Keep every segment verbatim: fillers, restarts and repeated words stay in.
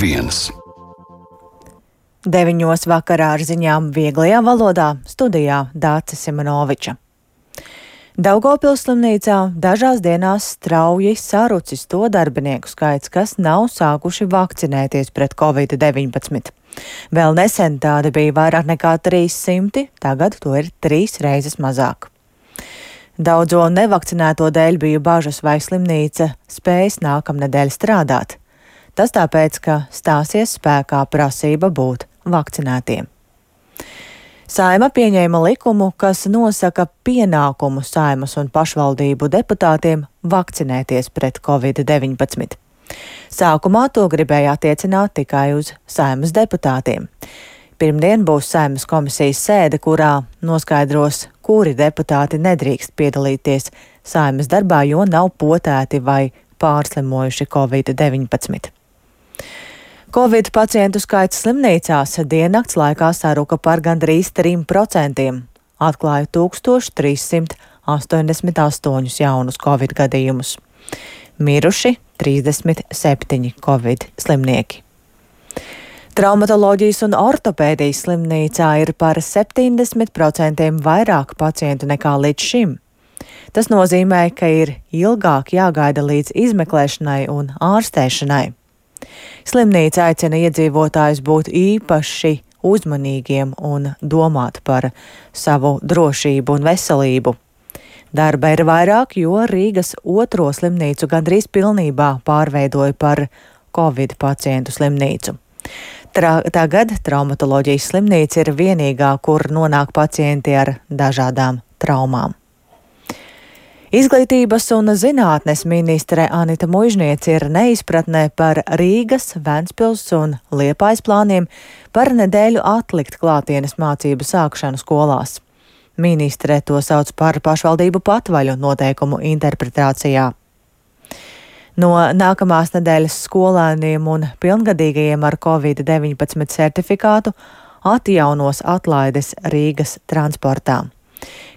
viens. Deviņos vakarā ar ziņām vieglajā valodā studijā Dāce Simonoviča. Daugavpils slimnīcā dažās dienās strauji sarucis to darbinieku skaits, kas nav sākuši vakcinēties pret covid deviņpadsmit. Vēl nesen tādi bija vairāk nekā trīs simti, tagad to ir trīs reizes mazāk. Daudzo nevakcinēto dēļ bija bažas, vai slimnīca spēs nākamnedēļ strādāt. Tas tāpēc, ka stāsies spēkā prasība būt vakcinētiem. Saeima pieņēma likumu, kas nosaka pienākumu Saeimas un pašvaldību deputātiem vakcinēties pret covid deviņpadsmit. Sākumā to gribēja attiecināt tikai uz Saeimas deputātiem. Pirmdien būs Saeimas komisijas sēde, kurā noskaidros, kuri deputāti nedrīkst piedalīties Saeimas darbā, jo nav potēti vai pārslimojuši covid deviņpadsmit. Covid pacientu skaits slimnīcās diennakts laikā saruka par gandrīz trim procentiem, atklāja tūkstoš trīs simt astoņdesmit astoņus jaunus covid gadījumus. Miruši trīsdesmit septiņi covid slimnieki. Traumatoloģijas un ortopēdijas slimnīcā ir par septiņdesmit procentiem vairāk pacientu nekā līdz šim. Tas nozīmē, ka ir ilgāk jāgaida līdz izmeklēšanai un ārstēšanai. Slimnīca aicina iedzīvotājus būt īpaši uzmanīgiem un domāt par savu drošību un veselību. Darba ir vairāk, jo Rīgas otro slimnīcu gandrīz pilnībā pārveidoja par covid pacientu slimnīcu. Tra, tagad traumatoloģijas slimnīca ir vienīgā, kur nonāk pacienti ar dažādām traumām. Izglītības un zinātnes ministre Anita Muižniece ir neizpratnē par Rīgas, Ventspils un Liepājas plāniem par nedēļu atlikt klātienes mācību sākšanu skolās. Ministre to sauc par pašvaldību patvaļu noteikumu interpretācijā. No nākamās nedēļas skolēniem un pilngadīgajiem ar covid deviņpadsmit certifikātu atjaunos atlaides Rīgas transportā.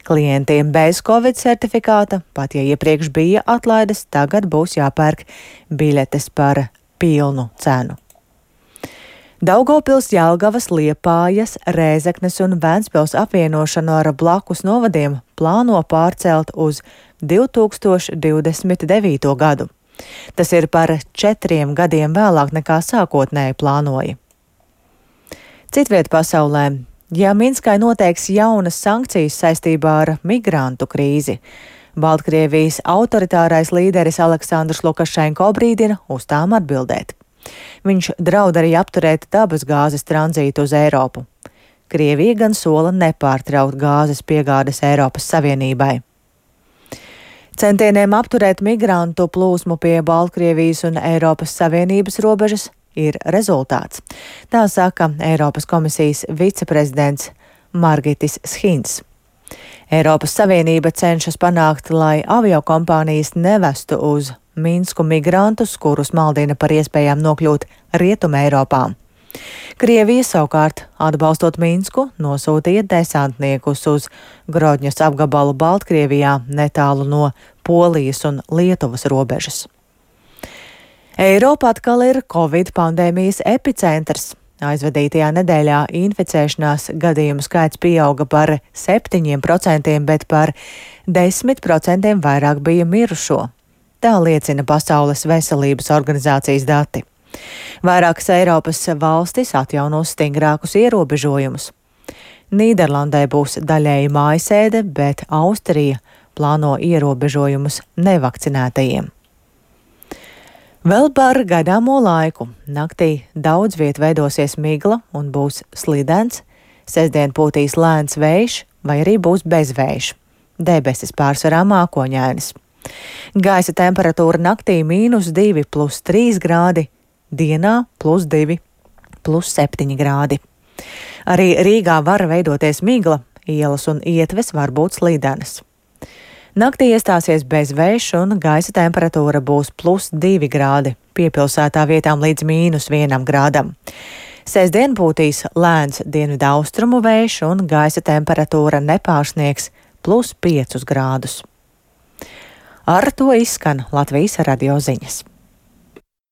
Klientiem bez covid certifikāta, pat ja iepriekš bija atlaides, tagad būs jāpērk biļetes par pilnu cenu. Daugavpils, Jelgavas, Liepājas, Rēzeknes un Ventspils apvienošanu ar blakus novadiem plāno pārcelt uz divi tūkstoši divdesmit devīto gadu. Tas ir par četriem gadiem vēlāk nekā sākotnēji plānoja. Citviet pasaulē. Ja Minskai noteiks jaunas sankcijas saistībā ar migrantu krīzi, Baltkrievijas autoritārais līderis Aleksandrs Lukašenko brīdina uz tām atbildēt. Viņš draud arī apturēt dabas gāzes tranzītu uz Eiropu. Krievija gan sola nepārtraukt gāzes piegādes Eiropas Savienībai. Centieniem apturēt migrantu plūsmu pie Baltkrievijas un Eiropas Savienības robežas ir rezultāts. Tā saka Eiropas komisijas viceprezidents Margitis Schins. Eiropas Savienība cenšas panākt, lai aviokompānijas nevestu uz Minsku migrantus, kurus maldina par iespējām nokļūt Rietumē Eiropā. Krievija savukārt, atbalstot Minsku, nosūtīja desantniekus uz Grodņas apgabalu Baltkrievijā netālu no Polijas un Lietuvas robežas. Eiropa atkal ir covid pandēmijas epicentrs. Aizvadītajā nedēļā inficēšanās gadījumu skaits pieauga par septiņiem procentiem, bet par desmit procentiem vairāk bija mirušo. Tā liecina Pasaules veselības organizācijas dati. Vairākas Eiropas valstis atjaunos stingrākus ierobežojumus. Nīderlandē būs daļēji mājasēde, bet Austrija plāno ierobežojumus nevakcinētajiem. Vēl par gaidāmo laiku. Naktī daudz viet veidosies migla un būs slidens, sestdien pūtīs lēns vējš vai arī būs bezvējš. Debesis pārsvarā mākoņainas. Gaisa temperatūra naktī mīnus divi plus trīs grādi, dienā plus divi plus septiņi grādi. Arī Rīgā var veidoties migla, ielas un ietves var būt slidenas. Naktī iestāsies bezvējš un gaisa temperatūra būs plus divi grādi, piepilsētā vietām līdz mīnus vienam grādam. Sestdien pūtīs lēns dienvidu austrumu vējš un gaisa temperatūra nepārsniegs plus piecus grādus. Ar to izskan Latvijas radio ziņas.